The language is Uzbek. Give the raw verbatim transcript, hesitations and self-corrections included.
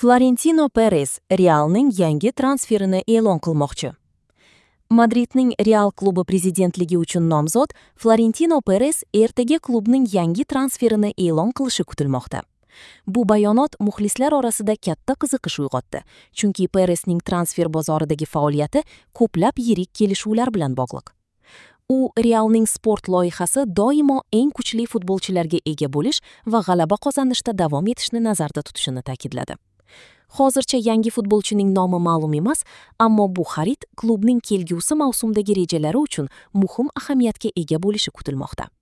Florentino Perez Realning yangi transferini e'lon qilmoqchi. Madridning Real klubi prezidentligi uchun nomzod Florentino Perez ertaga klubning yangi transferini e'lon qilishi kutilmoqda. Bu bayonot muxlislar orasida katta qiziqish uyg'otdi, chunki Peresning transfer bozoridagi faoliyati ko'plab yirik kelishuvlar bilan bog'liq. U Realning sport loyihasi doimo eng kuchli futbolchilarga ega bo'lish va g'alaba qozonishda davom etishni nazarda tutishini ta'kidladi. Hozircha yangi futbolchining nomi ma'lum emas, ammo bu xarid klubning kelgusi mavsumdagi rejalari uchun muhim ahamiyatga ega bo'lishi kutilmoqda.